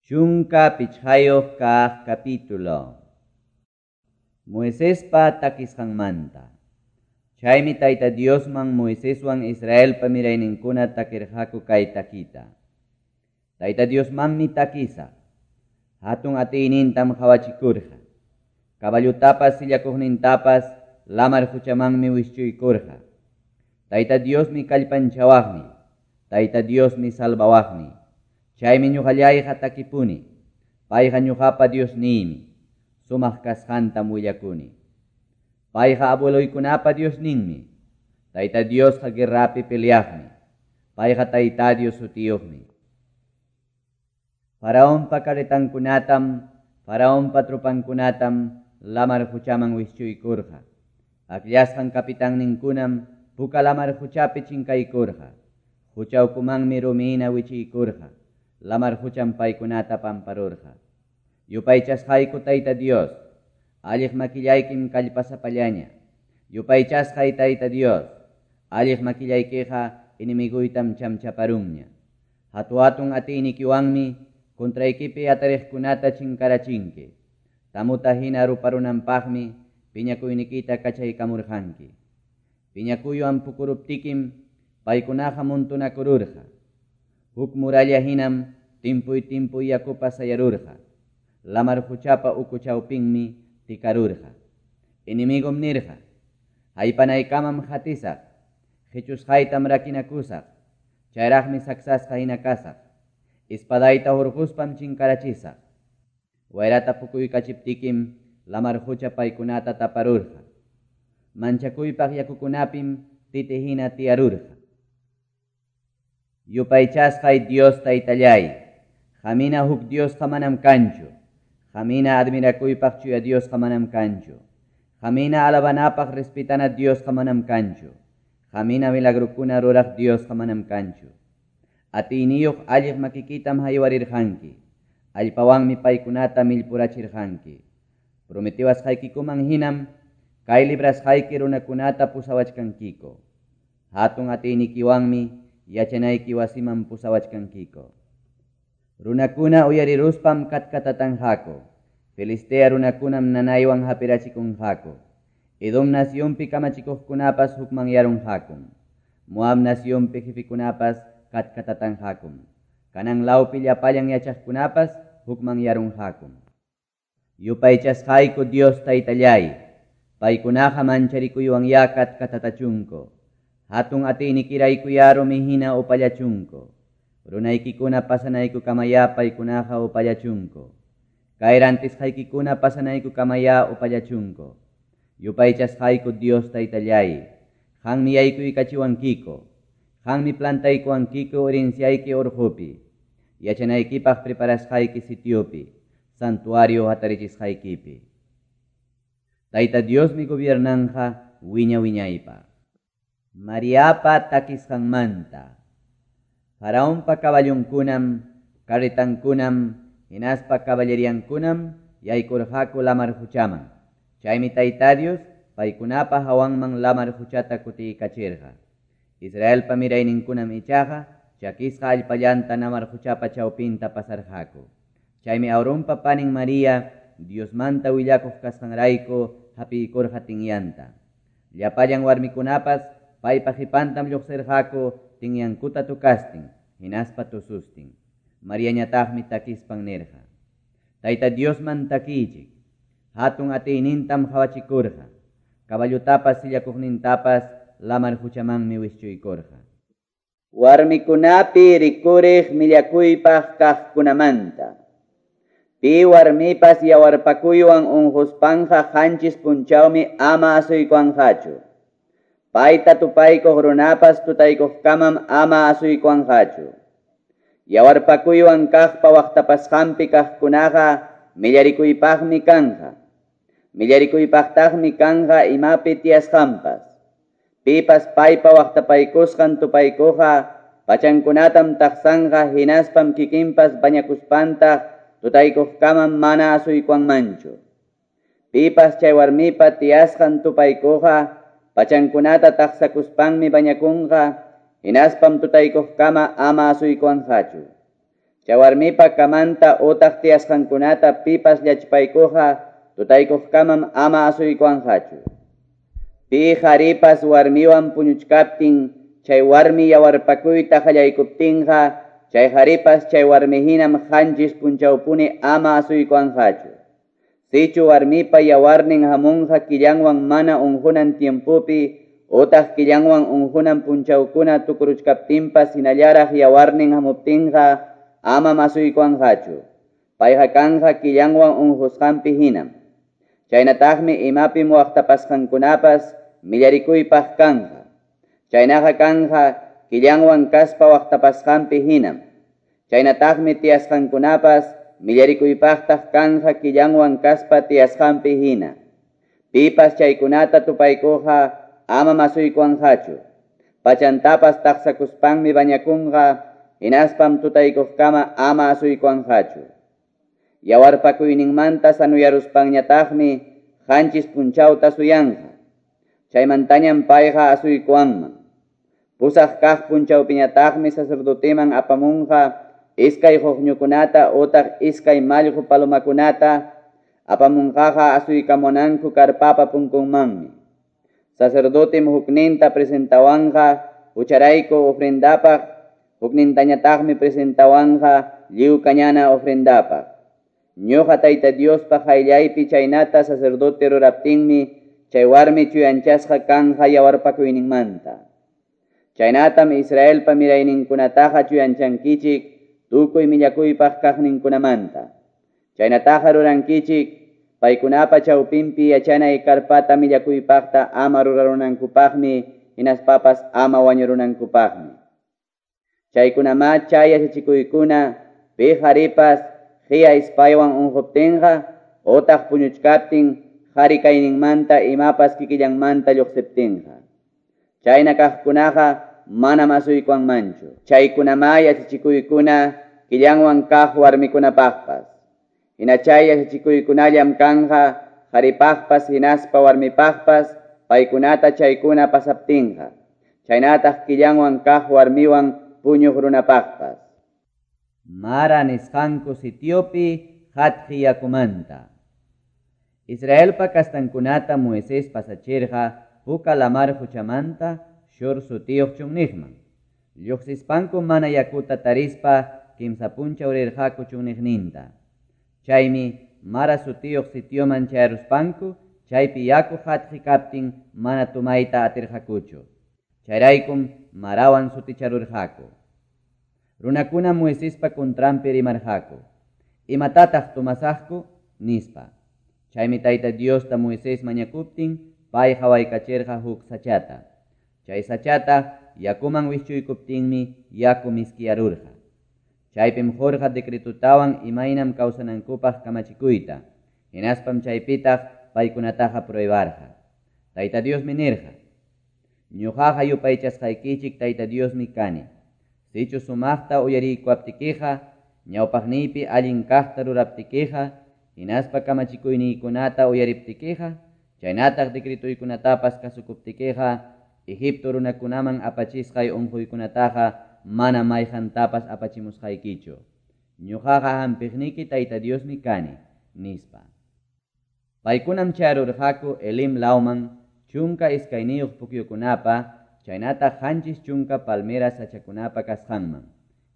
15 kaq capítulo. Moisespa takisqanmanta. Chaymi Tayta Diosman Moiseswan Israelpa mirayninkuna takirqaku kay takita. Tayta Diosmanmi takisaq. Hatun atiynintam qawachikurqa. Caballutapas sillakuqnintapas lamar quchamanmi wischuykurqa. Tayta Diosmi kallpanchawaqni. Tayta Diosmi salvawaqni. Chaymi ñuqallayqa takipuni. Payqa ñuqapa Diosniymi. Sumaq kasqantam willakuni. Payqa abueloykunapa Diosninmi. Tayta Diosqa guerrapi peleaqmi. Payqa Tayta Dios sutiyuqmi. Faraonpa carretankunatam, Faraonpa tropankunatam lamar quchaman wischuykurqa. Akllasqan kapitanninkunam puka lamar quchapi chinkaykurqa. Qucha ukumanmi rumina wichiykurqa. Lamar qucham paykunata pamparurqa. Yupaychasqayku Tayta Dios, alliq makillaykim kallpasapallaña. Yupaychasqay Tayta Dios, alliq makillaykiqa enemiguytam chamchaparunña. Hatu-hatun atiynikiwanmi contraykipi atariqkunata chinkarachinki. Tamuta hina ruparunanpaqmi piñakuynikita kachaykamurqanki. Piñakuywan pukuruptikim paykunaqa muntunakururqa. Huk muralla hinam timpuy timpuy yakupas sayarurqa. Lamar quchapa uku chawpinmi tikarurqa. Enemigom nirqa: Haypanaykamam qatisaq, qichusqaytam rakinakusaq, chayraqmi saksasqa hina kasaq. Espadayta hurquspam chinkarachisaq. Wayrata pukuykachiptikim lamar qucha paykunata taparurqa. Manchakuypaq yakukunapim titi hina tiyarurqa. Yupaychasqay Dios Taytallay, qamina huk Diosqa manam kanchu. Qamina admirakuypaq chuya Diosqa manam kanchu. Qamina alabanapaq respetana Diosqa manam kanchu. Qamina milagrukuna ruraq Diosqa manam kanchu. Atiyniyuq alliq makikitam haywarirqanki. Allpawanmi paykunata millpurachirqanki. Prometiwasqaykikuman hinam kay librasqayki runakunata pusawachkankiko. Hatun atiynikiwanmi yachanayki wasiman pusawachkankiko. Runakuna uyariruspam katkatatanqaku. Filistea runakunam nanaywan hapirachikunqaku. Edom nacionpi kamachikuqkunapas hukmanyarunqakum. Moab nacionpi jefekunapas katkatatanqakum. Kanan lawpi llapallan yachaqkunapas hukmanyarunqakum. Yupaychasqayku Dios Taytallay, paykunaqa mancharikuywan katkatatachunku. Hatun atiynikiraykuyá rumi hina upallachunku. Runaykikuna pasanaykukamaya paykunaqa upallachunku. Kay rantisqaykikuna pasanaykukamaya upallachunku. Yupaychasqayku Dios Taytallay, qanmi yaykuykachiwankiko. Qanmi plantaykuwankiko herenciayki urqupi. Yachanaykipaq preparasqayki sitiopi, santuario hatarichisqaykipi. Tayta Diosmi gobiernanqa wiña wiñaypaq. Mariapa takisqanmanta. Faraonpa caballonkunam, carretankunam, hinaspa caballeriankunam yaykurqaku lamar quchaman. Chaymi Tayta Dios paykunapa hawanman lamar quchata kutiykachirqa. Israelpa mirayninkunam ichaqa chakisqa allpallanta lamar quchapa chawpinta pasarqaku. Chaymi Aaronpa panin María Diosmanta willakuq kasqanrayku hapiykurqa tinyanta. Llapallan warmikunapas paypa qipantam lluqsirqaku tinyankuta tukastin, hinaspa tusustin. Mariañataqmi takispan nirqa: Tayta Diosman takiychik. Hatun atiynintam qawachikurqa. Caballutapas sillakuqnintapas lamar quchamanmi wischuykurqa. Warmikunapi rikuriq millakuypaq kaqkunamanta. Pi warmipas yawarpakuywan unquspanqa 7 punchawmi ama asuykuwanqachu. Payta tupaykuq runapas tutaykuqkamam ama asuykuwanqachu. Yawarpakuywan kaqpa waqtapasqanpi kaqkunaqa millarikuypaqmi kanqa. Millarikuypaqtaqmi kanqa imapi tiyasqanpas. Pipas paypa waqtapaykusqan tupaykuqa pachankunatam taqsanqa hinaspam kikinpas bañakuspantaq tutaykuqkamam mana asuykuwanmanchu. Pipas chay warmipa tiyasqan tupaykuqa pachankunata taqsakuspanmi bañakunqa hinaspam tutaykuqkama ama asuykuwanqachu. Chay warmipa camanta utaq tiyasqankunata pipas llachpaykuqqa tutaykuqkamam ama asuykuwanqachu. Pi qaripas warmiwan puñuchkaptin chay warmi yawarpakuyta qallaykuptinqa chay qaripas chay warmi hinam qanchis punchawpuni ama asuykuwanqachu. Sichu warmipa yawarnin hamunqa killanwan mana unqunan tiempopi utaq killanwan unqunan punchawkuna tukuruchkaptinpas hinallaraq yawarnin hamuptinqa amam asuykuwanqachu. Payqa kanqa killanwan unqusqanpi hinam. Chaynataqmi imapim waqtapasqankunapas millarikuypaq kanqa. Chaynaqa kanqa killanwan kaspa waqtapasqanpi hinam. Chaynataqmi tiyasqankunapas millarikuypaqtaq kanqa killanwan kaspa tiyasqanpi hina. Pipas chaykunata tupaykuqqa amam asuykuwanqachu. Pachantapas taqsakuspanmi bañakunqa hinaspam tutaykuqkama ama asuykuwanqachu. Yawarpakuyninmanta sanuyaruspanñataqmi qanchis punchawta suyanqa. Chaymantañam payqa asuykuwanman. Pusaq kaq punchawpiñataqmi sacerdoteman apamunqa iskay quqñukunata utaq iskay mallqu palomakunata apamunqaqa asuykamunanku karpapa punkunmanmi. Sacerdotem hukninta presentawanqa hucharayku ofrendapaq, huknintañataqmi presentawanqa lliw kañana ofrendapaq. Ñuqa Tayta Diospa qayllaypi chaynata sacerdote ruraptinmi chay warmi chuyanchasqa kanqa yawarpakuyninmanta. Chaynatam Israelpa mirayninkunataqa chuyanchankichik tukuy millakuypaq kaqninkunamanta. Chaynataqa rurankichik paykunapa chawpinpi yachanay karpata millakuypaqta ama rurarunankupaqmi hinaspapas ama wañurunankupaqmi. Chaykunamá chay yachachikuykuna pi qaripas qiya ispaywan unquptinqa utaq puñuchkaptin qhari kayninmanta imapas kikillanmanta lluqsiptinqa. Chayna kaqkunaqa manam asuykuwanmanchu. Chaykunamá yachachikuykuna killanwan kaq warmikunapaqpas. Hina chay yachachikuykunallam kanqa qharipaqpas hinaspa warmipaqpas paykunata chaykuna pasaptinqa. Chaynataq killanwan kaq warmiwan puñuq runapaqpas. Mara nisqanku sitiopi qatqi yakumanta. Israelpa kastankunata Moisés pasachirqa Puka lamar quchamanta Shur sutiyuq chunniqman. Lluqsispanku mana yakuta tarispa kimsa punchaw rirqaku chunniqninta. Chaymi Mara sutiyuq sitioman chayaruspanku chaypi yaku qatqi kaptin mana tumayta atirqakuchu. Chayraykum Marawan suticharurqaku. Runakuna Moisespa contranpi rimarqaku. Imatataq tumasaqku? Nispa. Chaymi Tayta Diosta Moisés mañakuptin pay hawaykachirqa huk sachata. Chay sachata yakuman wischuykuptinmi yaku miskiyarurqa. Chaypim qurqa decretotawan imaynam kawsanankupaq kamachikuyta. Hinaspam chaypitaq paykunataqa pruebarqa. Tayta Diosmi nirqa: Ñuqaqa yupaychasqaykichik Tayta Diosmi kani. Sichu sumaqta uyariykuwaptikiqa, ñawpaqniypi allin kaqta ruraptikiqa, hinaspa kamachikuyniykunata uyariptikiqa, chaynataq decretuykunatapas kasukuptikiqa, Egipto runakunaman apachisqay unquykunataqa mana mayqantapas apachimusqaykichu. Ñuqaqa hampiqniki Tayta Diosmi kani, nispa. Paykunam chayarurqaku Elim lawman 12 pukyukunapa chaynataq 70 palmera sachakunapa kasqanman.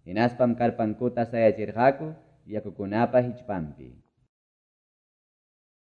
Hinaspam karpankuta sayachirqaku yakukunapa hichpanpi.